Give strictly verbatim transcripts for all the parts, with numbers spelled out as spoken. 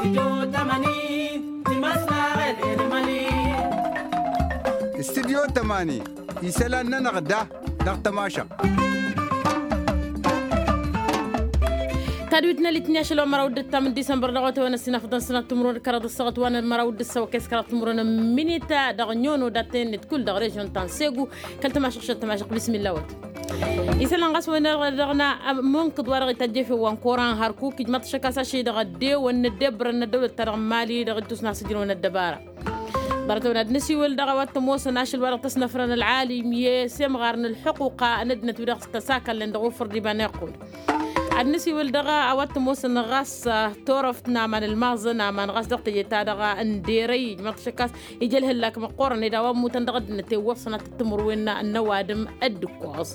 Studyo tămani isălan-nănăɣ da dăɣ-tămašăɣt. Tadwit n-elitni ašăl wa n-măraw d-ǝttam n-disămbăr dăɣ-otewăn ăssinafăḍăn sănat timǝrwen d-kăraḍ ăssaɣăt wa n-măraw d-ǝssăwăkes kăraḍ timǝrwen n-minita dăɣ-nyono dat-en-net kull dăɣ-režyon ta n-segu. Kăl-tămašăɣ šăt tămašăɣ bismilla wăt. Isălan ɣas wa n-dăɣ-na mǝnkǝḍ wa dăɣ-ităjjefew wa n-koran hărkuk ijmăḍ tăšăkkas ašăl-i dăɣ-ăddeewăn n-ăddebbărăn n-ăddăwlăt-ta-dăɣ n-mali dăɣ-ittus n-asǝjrăwăn ăddăbara. Ḍarăt-ăwăn ad-nǝsiwǝl dăɣ-a-wa t-ămoosăn ašăl wa dăɣ-tăsnăfrăn ălɣalim i-semɣar n-ǝlḥuquqa n-ăddinăt wi dăɣ-s tăsakalnen dăɣ-ufǝr d-iba n-iqqud. Ad-nǝsiwǝl dăɣ-a-wa t-ămoosăn ɣas turăft n-aman ǝlmaẓăn aman ɣas dăɣ-teje-ta-dăɣ n-derăy ijmăḍ tăšăkkas ija ălhăllak măqqoorăn ed a-wa ămmutăn dăɣ-ăddinăt i-wăr-sănatăt timǝrwen n-ăwadǝm. Dd-ǝkkoẓ.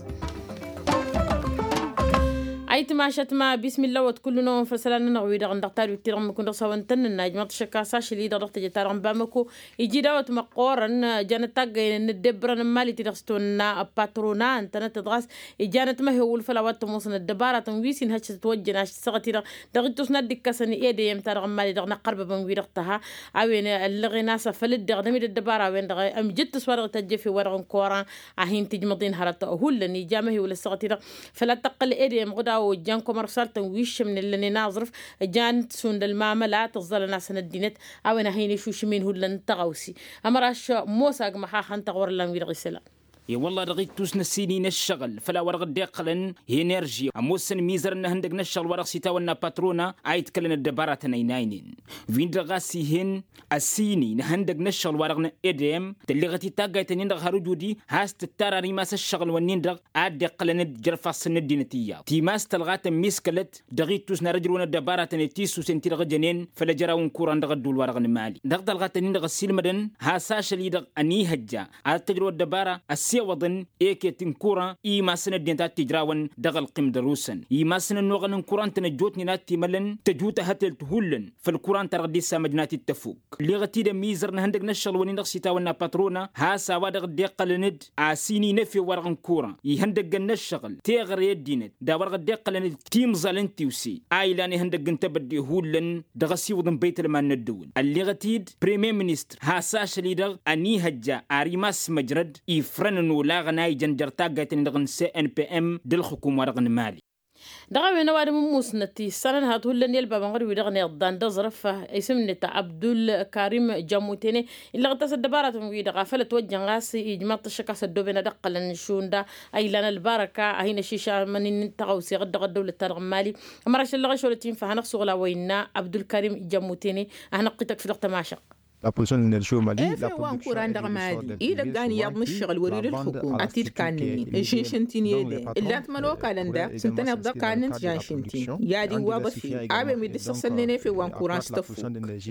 Ayǝtmašăt ma bismilla wăt kull-năwăn făll-isălan-nănăɣ wi-dăɣ n-dăɣ tadwit-ti-dăɣ n-mǝkun dăɣ-s hawăn-tăn-nǝnna ijmăḍ tăšăkkas ašăl-i-dăɣ dăɣ-teje-ta-dăɣ n-bamăko. Iji dawăt măqqoorăn janăt taggăynen n-ăddebbărăn n-mali ti-dăɣ s-tawănna ăppatrona ǝntănăt ɣas ija anătmăhewǝl făll-a-wa t-ămoosăn ăddăbaratăn wi s-inhăš tătwăjjăn ašăl-i-dăɣ dăɣ-ittus n-ad-dd-ikkăsăn i-edeyăm ta dăɣ-n mali dăɣ-năqqărbăbăn wi-dăɣ tăha. A-wen ăllăɣen a-s afăl dd-iɣdăm-dd ăddăbara a-wen-dăɣ ămjǝttǝs wa dăɣ-ităjjăf i-wa-dăɣ n-koran. A hin-tǝjmăḍ-in hărăt hullan ija amăhewǝl ăssaɣăt-i-dăɣ făl ad-tăqqǝl edeyăm ɣǝd a ojjan kămărsal-tăn wi ǝššǝmnen lănen aẓrǝf. Jan t-sund ălmamăla tǝẓẓalăn-asăn ăddinăt. A-wen a hin-išušǝm-in hullan n-tăɣawse. Ămăraš mosa agmăxaxăn tăɣwăr ǝllan wi-dăɣ isălan. E-wălla dăɣ-ittus n-ăssin-i n-ǝššăɣǝl făll-a-wa dăɣ-dd-iqqălăn i-enerži ămoosăn imizărăn n-ihăndăg n-ǝššăɣǝl wa dăɣ-s itawănna patrona a itkălăn ăddăbaratăn ăynaynen. Wi-dăɣ ɣas ih'-en ăssin-i n-ihăndăg n-ǝššăɣǝl wa dăɣ-n edem tălleɣăt-dd taggayt-ǝnnin-dăɣ har ujudi has-tǝttar ar imas ǝššăɣǝl-wǝnnin-dăɣ a dd-iqqălăn d-jer-ifassăn n-ăddinăt iyyăḍ timas tălɣa tămmiskălăt dăɣ-ittus n-ad-ǝjrǝwăn ăddăbaratăn i-tisusen ti-dăɣ ǝjănen făll-ejăraw n-kuran dăɣ-ădduul-wa-dăɣ n-mali dăɣ-tălɣa-tăn-in-dăɣ ăssiilmădăn has-ašăl-i-dăɣ ănihăjja ad-tăjrăw ăddăbara ăssewăḍăn eket n-kuran i-imassăn ăddinăt ad-t-ijrawăn dăɣ-ălqim dăr-usăn imassăn ănnuɣăn n-kuran tăn-ăjjootnen ad-t-imălăn tăjut ahătelt hullan făll-kuran ta dăɣ-dd-issamăjnat-dd tăfuk. Ǝlleɣăt-dd ămizăr n-ihăndăg n-ǝššăɣǝl-wăn-in-dăɣ s-itawănna patrona has-a-wa dăɣ-dd-iqqălăn-dd asin-i n-efew wa-dăɣ n-kuran ihăndăggăn n-ǝššăɣǝl teɣăre ăddinăt d-a-wa dăɣ-dd-iqqălăn d-timẓal n-tiwse a ilan ihăndăgg n-tebădde hullan dăɣ-asiwǝḍ n-băytălman n-ăddăwǝl ălleɣăt-dd premiyer ministăr has-ašăl-i-dăɣ ănihăjja ar imass măjrăd ifrăn n-olaɣăn a ijăn jer-taggayt-nin-dăɣ n-cnpm d-ǝlxǝkum wa-dăɣ n-mali. Dăɣ-a-wen ăwadǝm n-musnăt issanăn hat hullan i-ălbabăn ɣur-wi-dăɣ n-iḍḍan d-aẓrǝf isǝm-net abdul karim jamutene illăɣ-t a-s ăddăbaratăn-wi-dăɣ a făl ătwăjjăn ɣas ijmaḍ-t ăššăk a-s ăddooben ad-ǝqqălăn šund a ilan ălbarăka a hin-ăšišamăn-in tăɣawse ɣǝd dăɣ-ăddăwlăt-ta-dăɣ n-mali. Ămărašăl lăɣ ešolăt infa hanăɣ-suɣǝl a-wa innă abdul karim jamutene a hanăɣ-t-ităkf dăɣ-tămašăɣt. Efew wa n-kuran dăɣ-mali idăggan iyyăḍ n-ǝššăɣǝl wăr-ila ǝlxǝkum ad-t-dd-kannăn-in ǝžžǝnšăn-t-in i-ede ǝllan-t imănokalăn daɣ s-ǝntăneḍ dăɣ-kannăn tižănšăn-t-in i-ad-iwwaḍ efew a-wen wi dd-ǝssăssălnen efew wa n-kuran s-tăffukt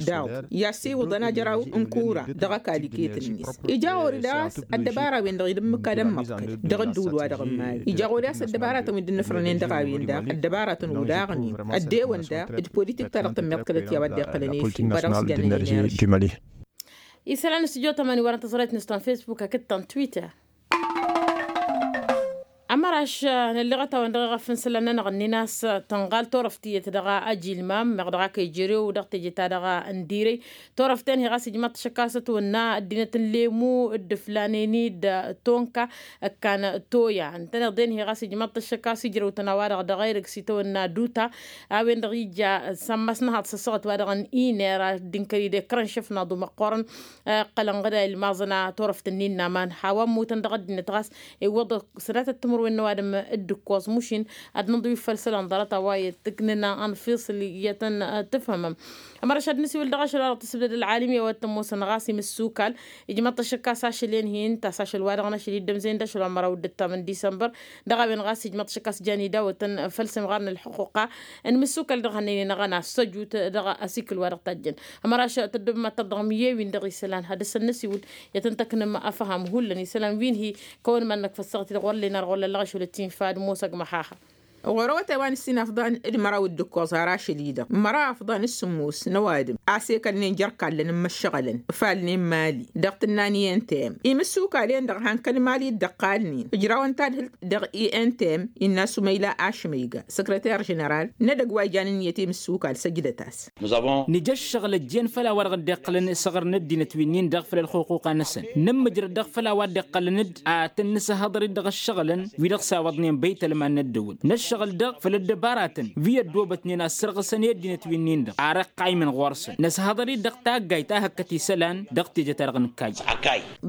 daɣ i-ad-siwǝḍăn ajăraw n-kura dăɣ-ăkall iket-net. Ija ɣur-i daɣ a-s ăddăbara-wen-dăɣ ila ǝmmǝk ad-ămmăḍkăd dăɣ-ădduul-wa-dăɣ n-mali ija ɣur-i a-s ăddăbaratăn wi dd-ănnăfrănen dăɣ-a-wen daɣ ăddăbaratăn olaɣnen ăddewăn daɣ d-politik ta dăɣ-tămmiḍkălăt i-a-wa dd-iqqălăn efew wa dăɣ-s jannănen i-ad-ăššăl. Isălan n-studyo tămani wăren tăẓrayt n-istan facebook hakd-tăn twitter. Ămăraš nălleɣăt-awăn dăɣ-eɣăf n-isălan-nănăɣ ǝnnin a-s tănɣal turăft tiyyăt dăɣ-ajilmam meɣ dăɣ-ak ejărew dăɣ-teje-ta-dăɣ n-direy. Turăft-en hi-ɣas ijmaḍ-t ašăk a-s ătwănna ăddinăt n-lemu dd-ǝflanen-dd tonka ǝkkan toya ǝntăneḍ-en hi-ɣas ijmaḍ-t ašăk a-s ijrăw-tăn a-wa-dăɣ dăɣ-erǝg s-itawănna duta. A-wen-dăɣ ija sămmăs n-ehăḍ s-ăssaɣăt wa-dăɣ n-iner ad-dd-inkăr-dd i-kărăn šăf n-aḍu măqqoorăn. Ǝqqălăn ɣǝd a ilmaẓăn a turăft-ǝnnin n-aman hawa ămmutăn dăɣ-ăddinăt ɣas iwwăḍ sănatăt timǝrwen n-ăwadǝm. Dd-ǝkkoẓ mušin ad-nǝnḍǝw iffăl isălan ḍarăt a-wa i-tǝknǝna ănfisǝl i-ad-tăn-tǝfhǝmăm. Ămăraš ad-nǝsiwǝl dăɣ-ašăl wa dăɣ-tǝsbǝdăd ălɣalim i-a-wa t-ămoosăn ɣas imǝssukal ijmăḍ-t ašăk a-s ašăl-en hi-ǝnta a-s ašăl wa dăɣ-năšăl iddămzen d-ašăl wa n-măraw dd-ǝttam n-disămbăr. Dăɣ-a-wen ɣas ijmăḍ-t ašăk a-s jan idawătăn făll-semɣar n-ălxuquqa n-imǝssukal dăɣ-hannăynen ăɣăna ăssăjut dăɣ-asikǝl wa dăɣ-tajjăn. Ămăraš tăddobăm ad-tărdăɣăm i-ewin dăɣ-isălan ad-dăr-săn năsiwǝl i-ad-tăn-tăknăm afham hullan isălan wi n-hi-kăwăn iman-năk făssăɣ-t-i-dăɣ wăr len ar ɣur-lăllăɣ ašăl ăttinfa d-mosăg măxaxa. Ɣur-awătay wa n-ǝssin afḍan d-măraw d-ǝkkoẓ har ašăl-i-dăɣ măraw afḍan d-sǝmmos n-ăwadǝm a-s ekălnen jer-kallăn n-imǝššăɣălăn ǝfalnen mali dăɣ-tǝnna n-i n t m imǝssukal-en-dăɣ han kăl-mali dd-ăqqalnen ǝjrawăn tadhǝlt dăɣ-i n t m. Innă sumăyla ašmăyga săkrăter ženeral n-edăgg wa ijan ǝnniyăt i-imǝssukal săjdăt-as. Nǝja ǝššăɣǝl ăjjeen făll-a-wa-dăɣ dd-iqqălăn isăɣrăn ăddinăt wi-nin-dăɣ făll-ălxuquqa-năsăn nǝmmǝjrăd dăɣ-făll-a-wa dd-iqqălăn-dd ad-tăn-nǝsăhhăḍăr-dd dăɣ-ǝššăɣǝlăn wi-dăɣ s-a-wăḍnen băytălman n-ăddăwǝl nǝššăɣǝl-dăɣ făll-ăddăbaratăn wi ăddoobătnen ad-sărɣǝsăn i-ăddinăt wi-nin-dăɣ ar ăqqaymăn ɣur-săn nǝsăhhăḍăr-dd dăɣ-taggayt a hăkkăt isălan dăɣ-tejăt-ta-dăɣ nǝkkayy.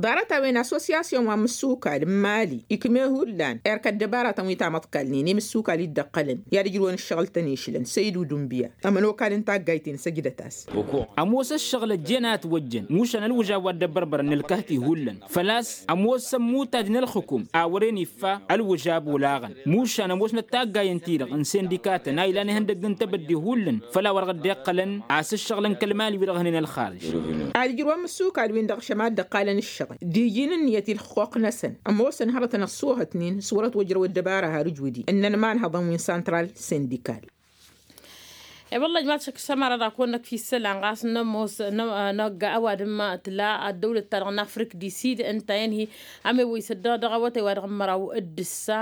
Ḍarăt-a-wen asosiyasyon wa n-imǝssukal n-mali ikme hullan erk ăddăbaratăn wi tamăḍkalnen i-imǝssukal-i dd-ăqqălăn i-ad-ǝjrǝwăn ǝššăɣǝl-tăn išlăn săydu dunbǝya ămănokal n-taggayt-en săjdăt-as. Ămoos ǝššăɣǝl ăjjeen a ătwăjjăn mušan ălwǝžab wa dd-ăbbărbărăn n-ǝlkăht-i hullan făl-a-s ămoos ămmuttaj n-ălxǝkum a wăren iffa ălwǝžab olaɣăn mušan ămoosnăt taggayăn-ti-dăɣ n-sindikatăn a ilan ihăndăgg n-tebădde hullan făll-a-wa-dăɣ dd-iqqălăn a-s ǝššăɣǝlăn kăl-mali-wi-dăɣ hănen ălxarǝj. Ad-ǝjrǝwăn imǝssukal-win-dăɣ šăma dd-ăqqalăn ǝššăɣǝl d-iji n-ǝnniyăt i-ǝlxuqq-năsăn ămoosăn hărătăn ăṣṣoohătnen s-wăr-ătwăjrăw ăddăbara har ǝjwǝdi ǝnnăn imanhăḍăn wi n-santral sindikal. E-wălla ijmaḍ šăkk s-ămăra dăɣ-kăwăn-năkf isălan ɣas n-ămoos năgg ăwadǝm tǝla ăddăwlăt-ta-dăɣ n-afrik di sid ǝnta i-ănhi ămewăy s-ăddăɣ dăɣ-awătay wa dăɣ-măraw d-ǝssa.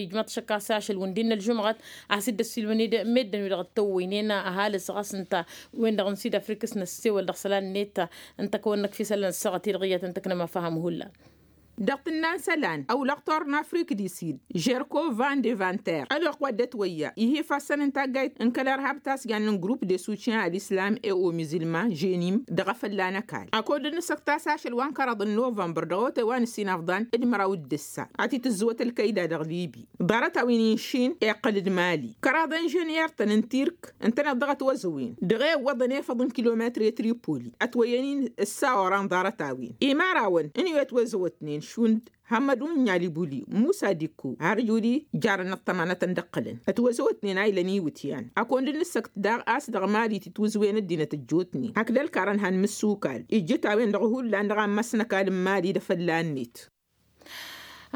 Ijmaḍ šăkk a-s ašăl wǝndin n-ălžumɣăt a-s dd-ăssiilmăn-dd meddǝn wi-dăɣ dd-tăwwăynen ăhalǝs ɣas ǝnta wen-dăɣ n-sid afrik s-năssewăl dăɣ-isălan-net. Ǝnta kăwăn-năkf isălan ăssaɣăt-i-dăɣ iyyăt ǝnta ǝknăm afăhăm hullan. Dăɣ-tǝnna n-isălan ăwlăɣ tor n-afrik di sid žerko van de vanter ălwăqq wa dd-ătwăyya ih' ifassăn n-taggayt n-kăl-irhab tasjan n-grupp de sutyen al-islam e-o mizǝlman ženim dăɣ-efălla n-ăkall. Ăkodd n-asăkt a-s ašăl wa n-kăraḍ n-novămbăr dăɣ-awătay wa n-ǝssin afḍan d-măraw d-ǝssa a t-tǝzzǝwăt ălkăyda dăɣ-libi. Ḍarăt-a-wen inšin iqqăl d-mali kăraḍ inžănyer-tăn n-tirk ǝntăneḍ dăɣ-ătwăzăwen dăɣ-e ǝwwăḍăn efăḍ n-kilometr i-tripoli ătwăyyăn-in ǝssa oran ḍarăt-a-wen. Imarawăn n-iwetwăzăwătnen šund hămmădun n-alibuli musa dikko har juli jarăn ăṭṭămanătăn d-ǝqqǝlăn ătwăzăwătnen a ilăn iwǝtyan. Ăkund n-asăkt daɣ a-s dăɣ-mali tǝtwǝzwen ăddinăt ăjjootnen hakd ălkarăn han imǝssukal ijjǝt a-wen-dăɣ hullan dăɣ-ammas n-ăkall n-mali d-efălla-net.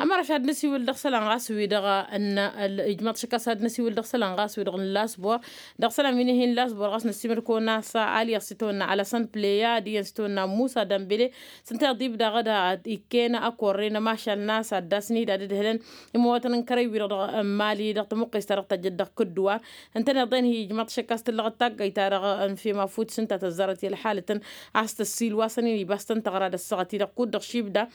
Ămăra šad-nǝsiwǝl dăɣ-isălan ɣas wi-dăɣ ǝnna ijmaḍ šăkk a-s ad-nǝsiwǝl dăɣ-isălan ɣas wi-dăɣ n-lasbor dăɣ-isălan wi n-ihi n-lasbor ɣas nǝssimăr-kăwăn a-s aliyăɣ s-itawănna alăsăn pleya d-iyyăn s-itawănna musa dambele. S-ǝnta iḍib daɣ d-ad-t ikkăyăn akorre n-ămašal n-a-s ad-dd-asnihǝd ad-ǝdhǝlăn imăwatăn n-kărăy-wi-dăɣ dăɣ-mali dăɣ-tămuqqes-ta-dăɣ tăjjăt dăɣ-kǝdduwar. Ǝntăneḍ-en hi-ijmaḍ šăkk a-s tǝllăɣăt taggayt-ta-dăɣ n-fem afut s-ǝnta tăzzarăt i-ălḥalătăn a-s tăssiilwasăn-in ibas-tăn tăɣra d-ăssaɣăt-i-dăɣ kud-dăɣ šibda.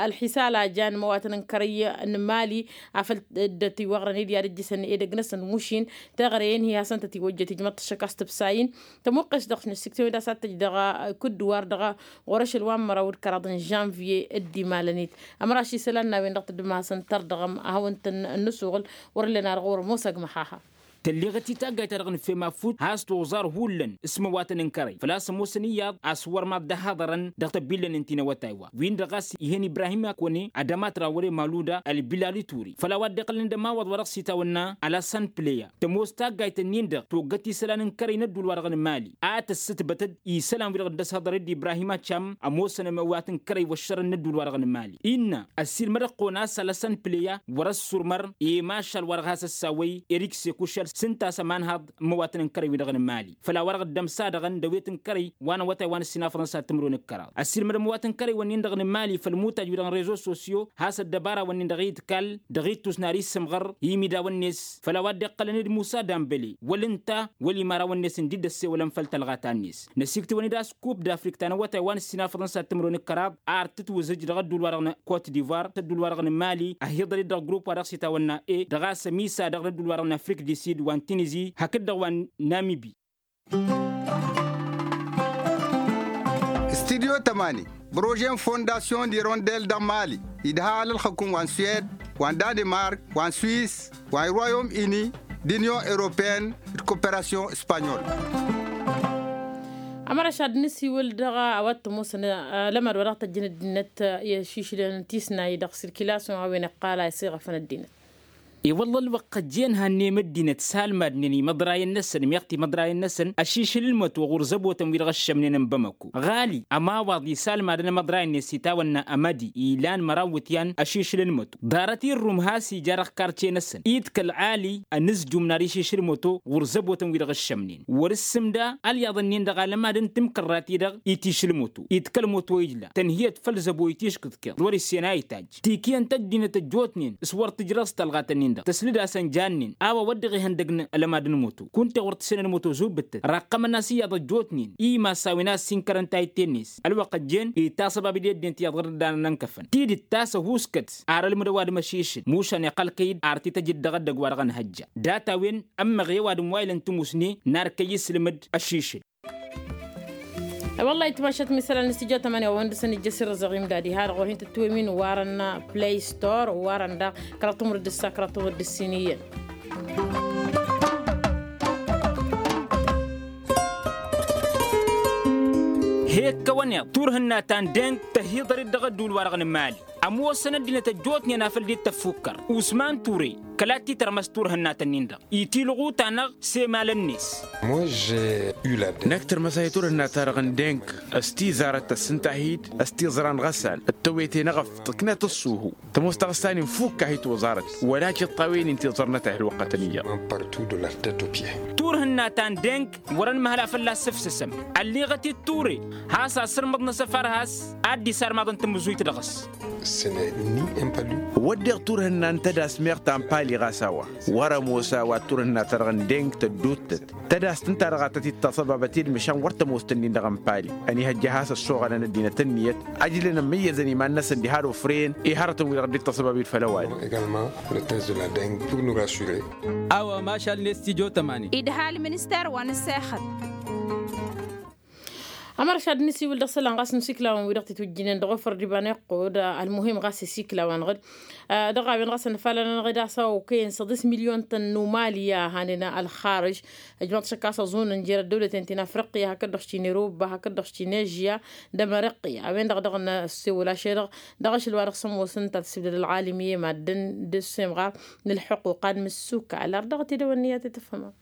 Ălḥisal a jan imăwatăn n-kărăy n-mali afăl dd-ătiwăɣrăn-dd i-ad-ǝjjǝsăn edăgg-năsăn mušin. Teɣre-en hi-hasăn-tăt-iwăjjăt ijmaḍ-t šăkk a-s tǝbsa-in tămuqqes dăɣ-nǝsǝktǝwăn-dd a-s ad-tǝj dăɣ-kǝdduwar dăɣ-ɣur-ašăl wa n-măraw d-kăraḍ n-žănviye dd-imalăn-dd. Ămăraš isălan n-a-wen-dăɣ tǝddǝm-asăn tărdăɣăm ad-hawăn-tăn-nǝsuɣǝl wăr-ǝllen ar ɣur-ămoos agmăhaha. Tălleɣăt i-taggayt-ta-dăɣ n-fem afut has-toẓar hullan s-imăwatăn n-kărăy făl-a-s ămoosăn iyyăḍ a-s wăr maḍ dd-ăhaḍărăn dăɣ-tăbillăn n-tinăwătay-wa-wi-dăɣ a-s ih'-en ibrahim akone ad-ămatra wăr-e maluda ălbilal ituri făll-a-wa dd-iqqălăn d-ămawaḍ wa dăɣ-s itawănna alăsăn pleya tămoos taggayt-ǝnnin-dăɣ toggăt isălan n-kărăy n-ădduul-wa-dăɣ n-mali a tǝssǝtbătăd isălan-wi-dăɣ dd-ăshăḍăr-dd ibrahim ačam ămoosăn ămăwat n-kărăy wăššărăn n-ădduul-wa-dăɣ n-mali innă ăssiilmăd-ăɣ kăwăn-as alăsăn pleya wăr-ăssurmăr i-mašal wa dăɣ-has-ăssawăy erik sekušăl s-ǝnta a-s ămanhaḍ n-imăwatăn n-kărăy-wi-dăɣ n-mali făll-a-wa dăɣ-dd-ămsadăɣăn d-awet n-kărăy wa n-awătay wa n-ǝssin afăḍăn s-ad-tǝmrǝwen d-kăraḍ ăssiilmăd ămăwat n-kărăy-wǝnnin-dăɣ n-mali făll-imutaj-wi-dăɣ n-rezo sosyo has-ăddăbara-wǝnnin-dăɣ i-dd-kall dăɣ-ittus n-ad-issǝmɣăr i-imidawăn-net făll-a-wa dd-iqqălăn d-musa dambăle wăl-ǝnta wăl-imarawăn-net ǝndi dd-ăssewălăn făll-tălɣata-net năsiktǝwăn-dd a-s kup d-afrik ta n-awătay wa n-ǝssin afăḍăn s-ad-tǝmrǝwen d-kăraḍ ar tǝtwǝzǝj dăɣ-ădduul wa dăɣ-n kot divoir s-ădduul wa dăɣ-n mali ăhiḍăl-dd dăɣ-grupp wa dăɣ-s itawănna e dăɣ-a-s ămisa-dăɣ n-ădduul wa dăɣ-n afrik di sid wa n-tinizi hakd-dăɣ wa n-namibi. Studyo tămani prože n-fondasyon d-irondel dăɣ-mali idha alălxǝkum wa n-swed wa n-danemark wa n-swis wa n-royom ini d-inyon europeyăn d-koperasyon spanyol. Ămăra šad nǝsiwǝl dăɣ-a-wa t-ămoosăn alămad wa dăɣ-tăjjăn ăddinăt i-ašišlăn tisnay dăɣ-sirkilasyon a-wen iqqal a isiɣăfăn ăddinăt. I-wălla ălwăqq ăjjeen hannăyăm ăddinăt salmadnen imăḍrayăn-năsăn meɣ timăḍrayăn-năsăn ăšišǝl n-măto ɣur-zăbotăn wi-dăɣ ăššămnen n-bamăko ɣali ămawaḍ isalmadăn amăḍrayăn-net s-itawănna ămădi ilan măraw iwǝtyan ăšišǝl n-măto ḍarăt irrum has-ija dăɣ-karce-năsăn idkăl ɣali ănǝzjum n-ar išišǝl n-măto ɣur-zăbotăn wi-dăɣ ǝššămnen wăr-ǝssǝmda ălyaḍ-ǝnnin-dăɣ alămad n-timkărrat-i-dăɣ itišǝl n-măto idkăl n-măto ijla tănhǝyăt făll-zăbo itiškǝḍ kăl-wăr-issen a itajj tikǝyăn-t ăddinăt ăjjootnen s-wăr tǝjrăẓ talɣat-ǝnnin-dăɣ tăslǝd-asăn jannen a-wa wăr dăɣ-ihăndăgg n-alămad n-măto kunta i-wăr tǝssenăn măto zubbǝttăt raqqămăn-as iyyăḍ ăjjootnen i-imassa wi n-ad-sinkărăn tayǝtte-net ălwăqq ăjjeen itasăbab-dd i-ăddinăt iyyăḍ ɣǝr-dd a nănănkăfăn tidǝt ta s-ăhuuskăt ar ălmǝd ăwadǝm ăšišǝl mušan iqqăl-kăy-dd ar t-tăj dd-dăɣ-ăddăg wa dăɣ-nǝhăjja data-wen ămmăɣ i-ăwadǝm wa ilăn timusne n-ar kăy-dd-isǝlmǝd ăšišǝl. Wăllah itmašat misălan n-stujo tămani wa wăn dăr-săn ijjăs irrăzăɣ imdadi har ɣur-hin tǝttǝwem-in warăn play store warăn daɣ kăraḍ tumǝr d-ǝssa kăraḍ tumǝr d-ǝssin iyyăn. He-ǝkkăwăn iḍ turhǝnna ta n-deng tăhiḍăr-dd dăɣ-ădduul-wa-dăɣ n-mali ămoosăn ăddinăt ăjjootnen a făl dd-tăffukkăr usman ture kăla t-titărmăs turhǝnna-tăn-in-dăɣ itilɣu-ta-năɣ s-emalăn-net. Năkk tărmăsay turhǝnna-ta-dăɣ n-deng s-tizarăt tăssǝnta-hi-dd s-tiẓra n-ɣăsal d-tewete n-eɣăf tǝknăt ǝṣṣuhu tămoos taɣǝsta-nin fukk-ahi toẓarăt wăla cǝṭṭawen-in tiẓrănăt a hi-ălwăqqătăn iyyăḍ. Turhǝnna ta n-deng wăr-ănmăhăl a fălla-s ǝfsǝsăm ălliɣăt-dd ture has-asǝrmǝḍ n-asăfar has-a dd-isarmaḍăn tamǝzuyt dăɣ-s. Wădden turhǝnna n-tădas meɣ ta n-pali ɣas a-wa wăr-ămoos a-wa turhǝnna-ta-dăɣ n-deng tădduuttăt tădas tǝnta dăɣ-a tăt-dd-taṣăbabăt-dd măšan wăr tămoos tǝnnin dăɣ-n pali ănihăjja has-ăssoɣălăn ăddinăt ǝnniyăt ăjlăn ămmăyyăzăn iman-năsăn diha d-ofrăyăn i-hărătăn wi-dăɣ dd-taṣăbab-dd făll-ăwadǝm. A-wa mašal n-estijyo tămani. Idhal minister wa n-sexăt. Ămăršad n-isiwǝl dăɣ-isălan ɣas n-isiklawăn wi dăɣ-titwǝjjǝnen dăɣ-ofăr d-iba n-iqqud ălmuhim ɣas isiklawăn ɣǝd dăɣ-a-wen ɣas ănfalăn anăɣ-dd a-s a okăyăn săḍis milyon-tăn n-umali i-ad-hanen ălxarǝž. Ǝjmăḍ šăkk a-s ăẓunăn jer-ăddăwlăten ti n-afriqya hakd-dăɣ s-ti n-eruba hakd-dăɣ s-ti n-ežya d-ămriqya a-wen-dăɣ dăɣ-năssewăl ašăl-dăɣ dăɣ-ašăl wa dăɣ-s ămoosăn ta tǝsbǝdăd ălɣalim i-e-madden d-ăssemɣar n-ălḥuquq ad-mǝssukal ar dăɣ-t-dd-ăwănniyat i-tǝfhǝmăm.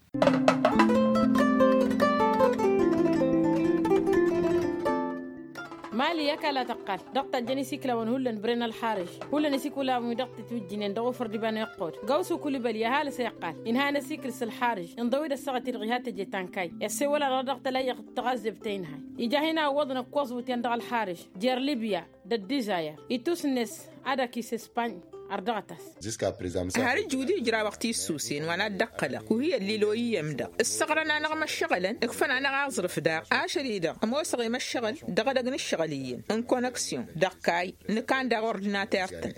Mali i-ăkall a tăqqal dăɣ-tajjăn isiklawăn hullan bren ălxarǝž hullan isiklawăn wi dăɣ-titwǝjjǝnen dăɣ-ofăr d-iba n-iqqud gawsu kulibăl i-ăhalǝs a iqqal inha n-asikǝl s-ălxarǝž inḍăw-dd ăssaɣăt-i-dăɣ iha teje tankay i-ăssewăl-a-dăɣ dăɣ-tălayyăɣt d-taɣăzzebtăy n-hay ija hin-a ǝwwăḍăn ǝkkoẓ wǝtyan dăɣ-ălxarǝž jer-libya d-ăddizayăr itus-net ad-ăkis ispañ. Ărdăɣăt-as. Har ǝjjud ijrawăɣ tissusen wa n-ad-dd-ăqqălăɣ kuhǝyăn lilo iyyăm-dăɣ ǝssăɣrăn-anăɣ imăššăɣǝlăn ǝkfăn-anăɣ aẓrǝf daɣ ašăl-i-dăɣ ămoosăɣ imăššăɣǝl dăɣ-edăgg n-ǝššăɣǝl iyyăn n-connection dăɣ-kayy nǝkan daɣ ordinater-tăn.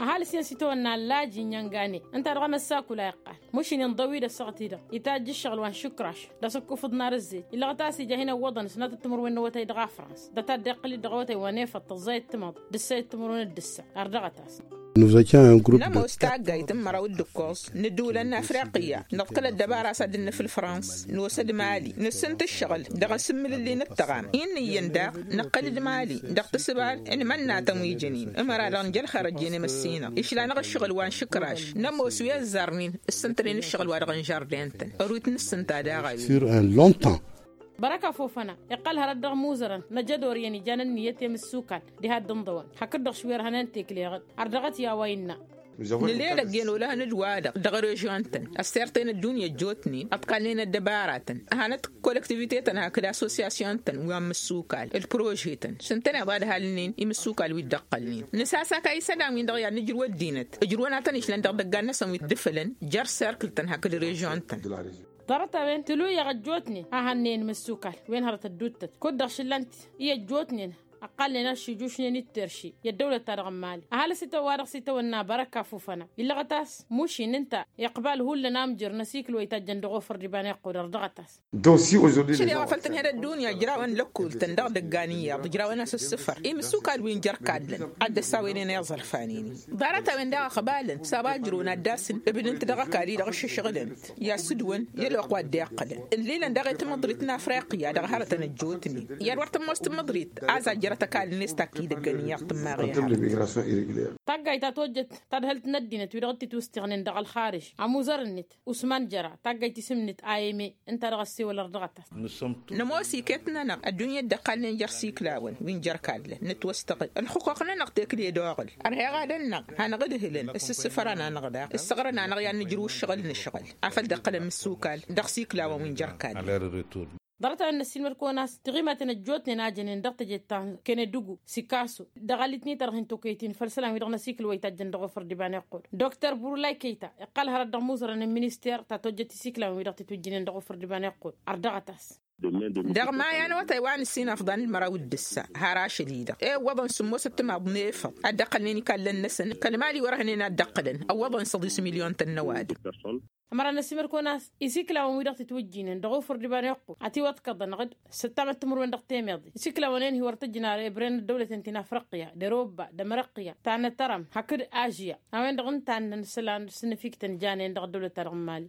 Ăhalǝs-en s-itawănna ăllaji n-inyăngane ǝnta dăɣ-emăssakul a iqqal mušin inḍăw-dd ăssaɣăt-i-dăɣ itajj ǝššăɣǝl wa n-išǝkraš d-asǝkkufǝḍ n-arǝzzej illăɣăt a-s ija hin-ăwwăḍăn s-năt d-timǝrwen n-awătay dăɣ-afrans dăɣ-taddăɣ iqqǝl-dd dăɣ-awătay wa n-efăṭṭăẓẓay d-timǝḍ d-ǝssayăt timǝrwen d-ǝssa. Ărdăɣăt-as. Nămoos taggayt n-măraw d-ǝkkoẓ n-ǝddǝwǝlăn n-afriqya nǝḍkăl ăddăbara s-ad-dd-nǝfǝl frans n-osăd mali nǝssǝnt ǝššăɣǝl dăɣ-asǝmmǝlǝlli n-ǝttăɣam innă iyyăn daɣ nǝqqǝl-dd mali dăɣ-tǝssǝbal n-imănnatăn wi jănen ămăra-dăɣ nǝja ălxer ăjjeen imǝssinăɣ išla-năɣ ǝššăɣǝl wa n-išǝkraš nămoos wi ăzzarnen ǝssǝntănen ǝššăɣǝl wa dăɣ-n žardin-tăn ărwit n-ǝssǝnta daɣ a-wen. Bărăka fofăna iqqăl hărăt dăɣ-imuzărăn năjădor iyyăn ijan ǝnniyăt i-imǝssukal diha dd-ǝnḍăwăn hakd-dăɣ šwerhănen tekleɣăn. Ărdăɣăt i-a-wa innă. Nǝlelăgg i-ănolăhăn d-wa-dăɣ dăɣ-režion-tăn ăssirten ăddunya ăjjootnen ăḍkalnen ăddăbaratăn ăhanăt kolektivite-tăn hakd assosyasyon-tăn wa n-imǝssukal d-prože-tăn s-ǝntăneḍ ad-halnen imǝssukal wi dd-ăqqălnen nǝsasaka isălan-win-dăɣ i-ad-nǝjrǝw ăddinăt ǝjrǝwăn ad-tăn-išlan dăɣ-idăggan-năsăn wi dd-ǝfǝlăn jer-serkǝl-tăn hakd režion-tăn. Ḍarăt-a-wen tǝluyăɣ ăjjootnen a hannăyăn imǝssukal wen hărăt ădduuttăt kud-dăɣ šǝllan-t i-ăjjootnen ăqqalnen ad-šijušnen i-dd-terši i-ăddăwlăt-ta-dăɣ n-mali ăhalǝs itawănna bărăkka fufăna illăɣăt a-s mušin ǝnta iqbal hullan amjăr n-asikǝl wa itajjăn dăɣ-ofăr d-iba n-iqqud ărdăɣăt-as. Šăl i-a-wa făl tǝnhăd ăddunya ǝjrawăn lăkul-tăn dăɣ-idăggan iyyăḍ ǝjrawăn-as ǝssǝfăr imǝssukal wi n-jer-kadlăn ad-dd-ăssawăynen i-iẓărfanen-in. Ḍarăt-a-wen daɣ ăqbalăn s-a-wa ǝjrǝwăn ad-dd-asǝn ǝbnǝn-t dăɣ-ăkall-i-dăɣ ǝššǝšɣǝlăn-t i-asǝdwăn i-ălwăqq wa dd-iqqălăn ǝllilăn daɣ i-tamǝḍrit n-afriqya dăɣ-hărătăn ăjjootnen i-ad-wăr tămoos tamǝḍrit a-s a jăr Tăkall-net takk idăggăn iyyăḍ tǝmmaɣ i-ha. Taggayt ta tojjăt tadhǝlt n-ăddinăt wi-dăɣ t-titwǝstăɣnen dăɣ-ălxarǝž ămuzăr-net usman jăra taggayt isǝm-net ayeme. Ǝnta dăɣ-ăssewăl ărdăɣăt-as. Nămoos iket-nănăɣ ăddunya dd-ăqqalnen jer-isiklawăn wi n-jer-kallăn nǝtwăstăɣǝl ǝlxǝquq-nănăɣ tekle d-oɣǝl. Ărheɣ ad-ănnăɣ hanăɣ-ǝdhǝlăn ǝssǝssǝfăran-anăɣ daɣ ǝssăɣrăn-anăɣ i-ad-nǝjrǝw ǝššăɣǝl-nǝšɣǝl. Afăl dd-iqqălăn mǝssukal dăɣ-isiklawăn wi n-jer-kallăn. Ḍarăt-a-wen n-ăssiilmăd-kăwăn a-s tiɣimaten ăjjootnen a jănen dăɣ-tejet ta n-kenedǝgu sikasu dăɣ-alǝtni-ta-dăɣ hin-tokăyăt-in făll-isălan-wi-dăɣ n-asikǝl wa itajjăn dăɣ-ofăr d-iba n-iqqud. Dr burulay keyta iqqăl hărăt dăɣ-imuẓrăn n-minister ta tojjăt isiklawăn-wi-dăɣ titwǝjjǝynen dăɣ-ofăr d-iba n-iqqud. Ărdăɣăt-as. Dăɣ-maya n-awătay wa n-ǝssin afḍăn d-măraw d-ǝssa har ašăl-i-dăɣ i-ǝwwăḍăn sǝmmosăt timaḍ n-efăḍ ad-dd-ăqqălnen ikallăn-năsăn kăl-mali wăr-hănen ad-dd-ăqqǝlăn ăwwăḍăn săḍis milyon-tăn n-ăwadǝm. Ămăra n-ăsimăr-kăwăn a-s isiklawăn-wi-dăɣ titwǝjjǝynen dăɣ-ofăr d-iba n-iqqud ătiwăḍkăḍăn ɣǝd sǝttamăt timǝrwen dăɣ-temeḍe. Isiklawăn-en hi-wăr tǝjjǝn ar ebren d-ăddăwlăten ti n-afriqya d-erobba d-ămrăqya ta n-atărăm hakd ažya. A-wen-dăɣ ǝnta a ǝnnăn isălan s-inǝfiktăn janen dăɣ-ăddăwlăt-ta-dăɣ n-mali.